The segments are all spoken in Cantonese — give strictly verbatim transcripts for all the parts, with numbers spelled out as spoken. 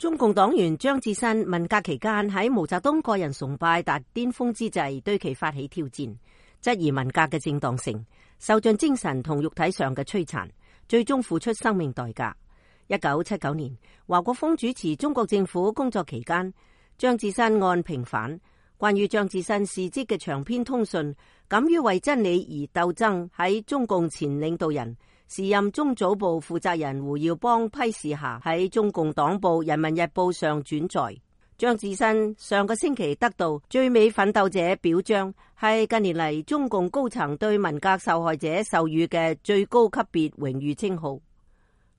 中共黨員張智新文革期間喺毛澤東個人崇拜達巔峰之際，對其發起挑戰，質疑文革嘅正當性，受盡精神同肉體上嘅摧殘，最終付出生命代價。一九七九年，華國鋒主持中國政府工作期間，張智新案平反。關於張智新事蹟嘅長篇通訊，敢於為真理而鬥爭，喺中共前領導人時任中組部負責人胡耀邦批示下，喺中共黨報《人民日報》上轉載。張智新上個星期得到最美奮鬥者表彰，係近年嚟中共高層對文革受害者授予嘅最高級別榮譽稱號。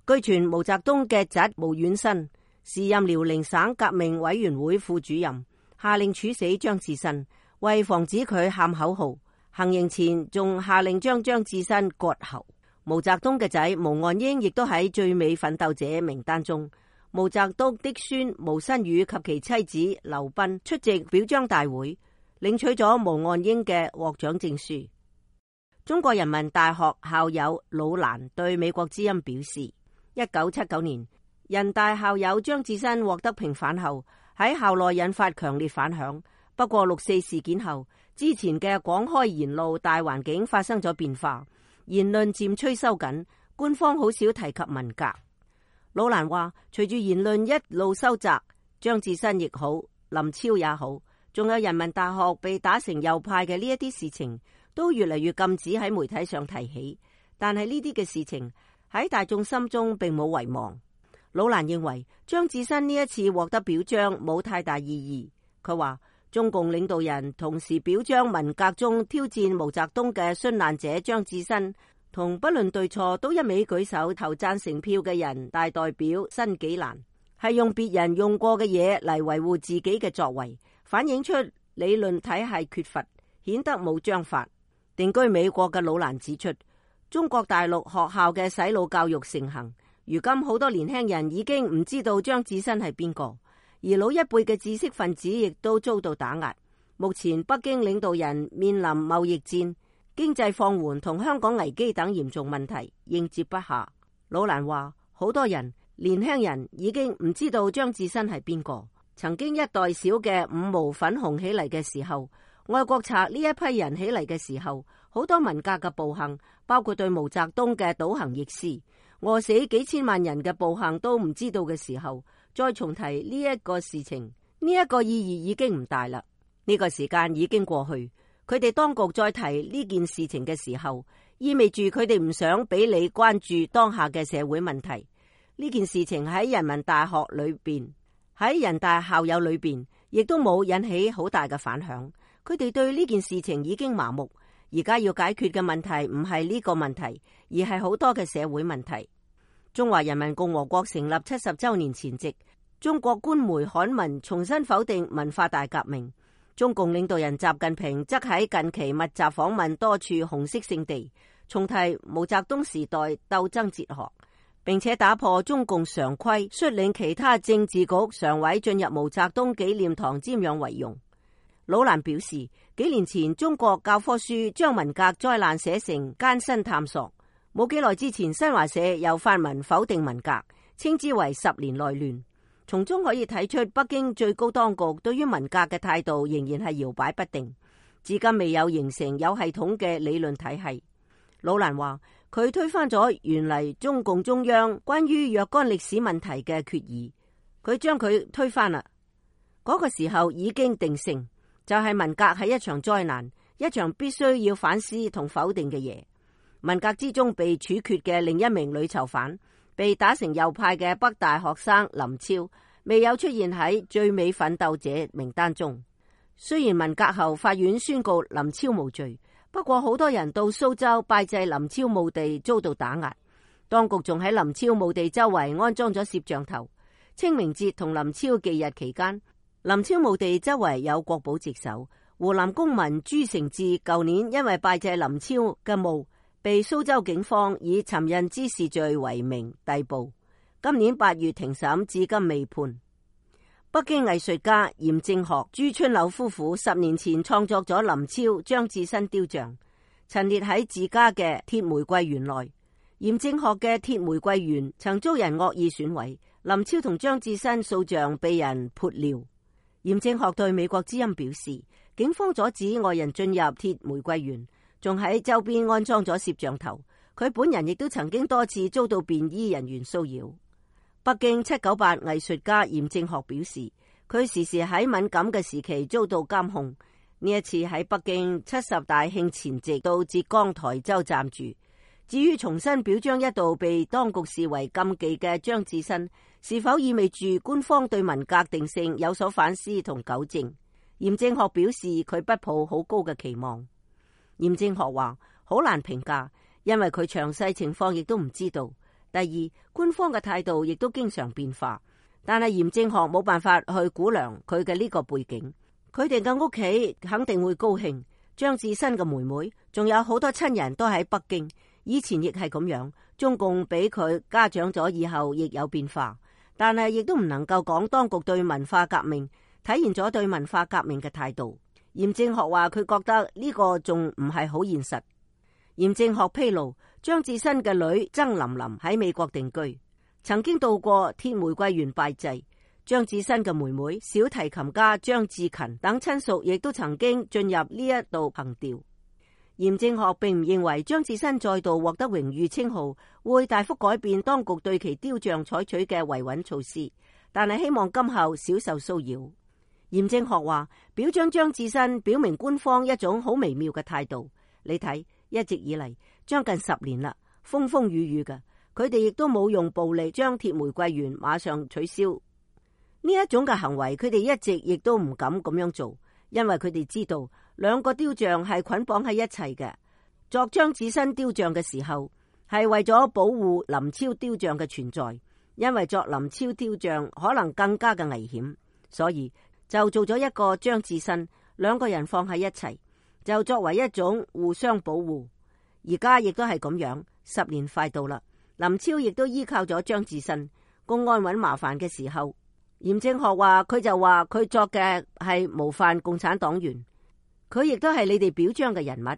據傳毛澤東嘅侄毛遠新，時任遼寧省革命委員會副主任，下令處死張智新，為防止佢喊口號，行刑前仲下令將張智新割喉。毛澤東嘅仔毛岸英亦都喺最美奮鬥者名單中。毛澤東的孫毛新宇及其妻子劉彬出席表彰大會，領取咗毛岸英嘅獲獎證書。中國人民大學校友老蘭對美國之音表示，一九七九年人大校友張智新獲得平反後，喺校內引發強烈反響。不過六四事件後，之前嘅廣開言路大環境發生咗變化，言論漸趨收緊，官方好少提及文革。老蘭話，隨住言論一路收窄，張智新亦好，林超也好，仲有人民大學被打成右派嘅呢一啲事情，都越嚟越禁止喺媒體上提起。但係呢啲嘅事情喺大眾心中並冇遺忘。老蘭認為張智新呢一次獲得表彰冇太大意義。佢話中共領導人同時表彰文革中挑戰毛澤東嘅殉難者張智新，同不論對錯都一味舉手投贊成票嘅人大代表申紀蘭，係用別人用過嘅嘢嚟維護自己嘅作為，反映出理論體系缺乏，顯得冇章法。定居美國嘅老蘭指出，中國大陸學校嘅洗腦教育盛行，如今好多年輕人已經唔知道張智新係邊個，而老一輩嘅知識分子亦都遭到打壓。目前北京領導人面臨貿易戰、經濟放緩同香港危機等嚴重問題，應接不暇。老蘭話，好多人年輕人已經唔知道張智新係邊個。曾經一代小嘅五毛粉紅起嚟嘅時候，愛國賊呢一批人起嚟嘅時候，好多文革嘅暴行，包括對毛澤東嘅倒行逆施、餓死幾千萬人嘅暴行都唔知道嘅時候，再重提呢一個事情，呢一個意義已經唔大啦。呢個時間已經過去。佢哋當局再提呢件事情嘅時候，意味住佢哋唔想俾你關注當下嘅社會問題。呢件事情喺人民大學裏邊，喺人大校友裏邊，亦都冇引起好大嘅反響。佢哋對呢件事情已經麻木。而家要解決嘅問題唔係呢個問題，而係好多嘅社會問題。中華人民共和國成立七十周年前夕，中國官媒刊文重新否定文化大革命。中共領導人習近平則喺近期密集訪問多處紅色聖地，重提毛澤東時代鬥爭哲學，並且打破中共常規，率領其他政治局常委進入毛澤東紀念堂瞻仰遺容。老蘭表示，幾年前中國教科書將文革災難寫成艱辛探索，冇幾耐之前新華社又發文否定文革，稱之為十年內亂。從中可以睇出北京最高當局對於文革嘅態度仍然係搖擺不定，至今未有形成有系統嘅理論體系。老蘭話，佢推翻咗原嚟中共中央關於若干歷史問題嘅決議，佢將佢推翻啦。嗰個時候已經定性，就係文革係一場災難，一場必須要反思同否定嘅嘢。文革之中被處決嘅另一名女囚犯，被打成右派嘅北大學生林超，未有出現喺最美奮鬥者名單中。雖然文革後法院宣告林超無罪，不過好多人到蘇州拜祭林超墓地遭到打壓，當局仲喺林超墓地周圍安裝咗攝像頭。清明節同林超忌日期間，林超墓地周圍有國保值守。湖南公民朱成志舊年因為拜祭林超嘅墓，被蘇州警方以尋釁滋事罪為名逮捕，今年八月庭審，至今未判。北京藝術家嚴正學、朱春柳夫婦十年前創作咗林超、張智新雕像，陳列喺自家嘅鐵玫瑰園內。嚴正學嘅鐵玫瑰園曾遭人惡意損毀，林超同張智新塑像被人潑尿。嚴正學對美國之音表示，警方阻止外人進入鐵玫瑰園，仲喺周邊安裝咗攝像頭。佢本人亦都曾經多次遭到便衣人員騷擾。北京七九八藝術家嚴正學表示，佢時時喺敏感嘅時期遭到監控。呢一次喺北京七十大慶前夕到浙江台州暫住。至於重新表彰一度被當局視為禁忌嘅張智新，是否意味住官方對文革定性有所反思同糾正？嚴正學表示佢不抱好高嘅期望。嚴正學話好難評價，因為佢詳細情況亦都唔知道。第二，官方嘅態度亦都經常變化，但係嚴正學冇辦法去估量佢嘅呢個背景。佢哋嘅屋企肯定會高興。張智新嘅妹妹仲有好多親人都喺北京。以前亦係咁樣，中共俾佢家長咗以後亦有變化，但係亦都唔能夠講當局對文化革命體現咗對文化革命嘅態度。嚴正學話佢覺得呢個仲唔係好現實。嚴正學披露，張智新嘅女曾琳琳喺美國定居，曾經到過鐵玫瑰園拜祭。張智新嘅妹妹小提琴家張志勤等親屬亦都曾經進入呢一度憑弔。嚴正學並唔認為張智新再度獲得榮譽稱號會大幅改變當局對其雕像採取嘅維穩措施，但係希望今後少受騷擾。嚴正學話，表彰張智新表明官方一種好微妙嘅態度。你睇，一直以嚟將近十年啦，風風雨雨嘅，佢哋亦都冇用暴力將鐵玫瑰園馬上取消。呢一種嘅行為，佢哋一直亦都唔敢咁樣做，因為佢哋知道兩個雕像係捆綁喺一齊嘅。作張智新雕像嘅時候，係為咗保護林超雕像嘅存在，因為作林超雕像可能更加嘅危險，所以就做咗一個張智新，兩個人放喺一齊，就作為一種互相保護。而家亦都係咁樣，十年快到啦，林超亦都依靠咗張智新，公安揾麻煩嘅時候，嚴正學話佢就話佢作嘅係模範共產黨員。佢亦都係你哋表彰嘅人物，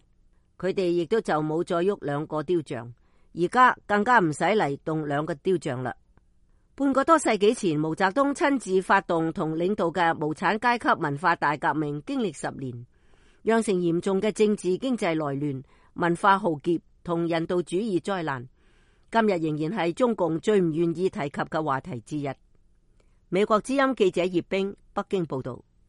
佢哋亦都就冇再喐兩個雕像，而家更加唔使嚟動兩個雕像啦。半個多世紀前，毛澤東親自發動同領導嘅無產階級文化大革命，經歷十年，釀成嚴重嘅政治經濟內亂、文化浩劫同人道主義災難。今日仍然係中共最唔願意提及嘅話題之一。美國之音記者葉冰，北京報道。